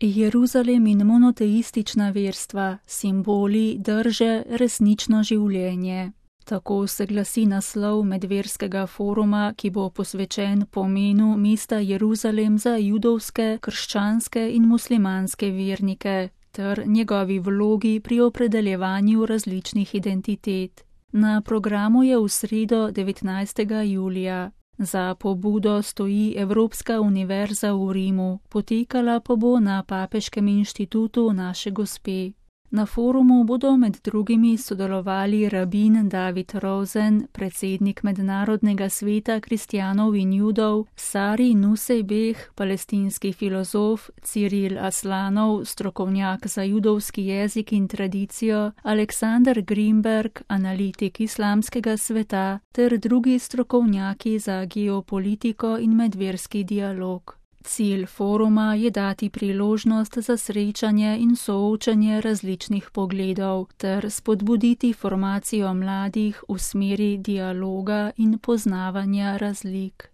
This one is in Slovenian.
Jeruzalem in monoteistična verstva, simboli, drže, resnično življenje. Tako se glasi naslov medverskega foruma, ki bo posvečen pomenu mesta Jeruzalem za judovske, krščanske in muslimanske vernike ter njegovi vlogi pri opredeljevanju različnih identitet. Na programu je v sredo 19. julija. Za pobudo stoji Evropska univerza v Rimu, potekala pa bo na Papeškem inštitutu Naše Gospe. Na forumu bodo med drugimi sodelovali rabin David Rosen, predsednik Mednarodnega sveta kristjanov in judov, Sari Nusseibeh, palestinski filozof, Ciril Aslanov, strokovnjak za judovski jezik in tradicijo, Aleksander Grimberg, analitik islamskega sveta, ter drugi strokovnjaki za geopolitiko in medverski dialog. Cilj foruma je dati priložnost za srečanje in soočanje različnih pogledov ter spodbuditi formacijo mladih v smeri dialoga in poznavanja razlik.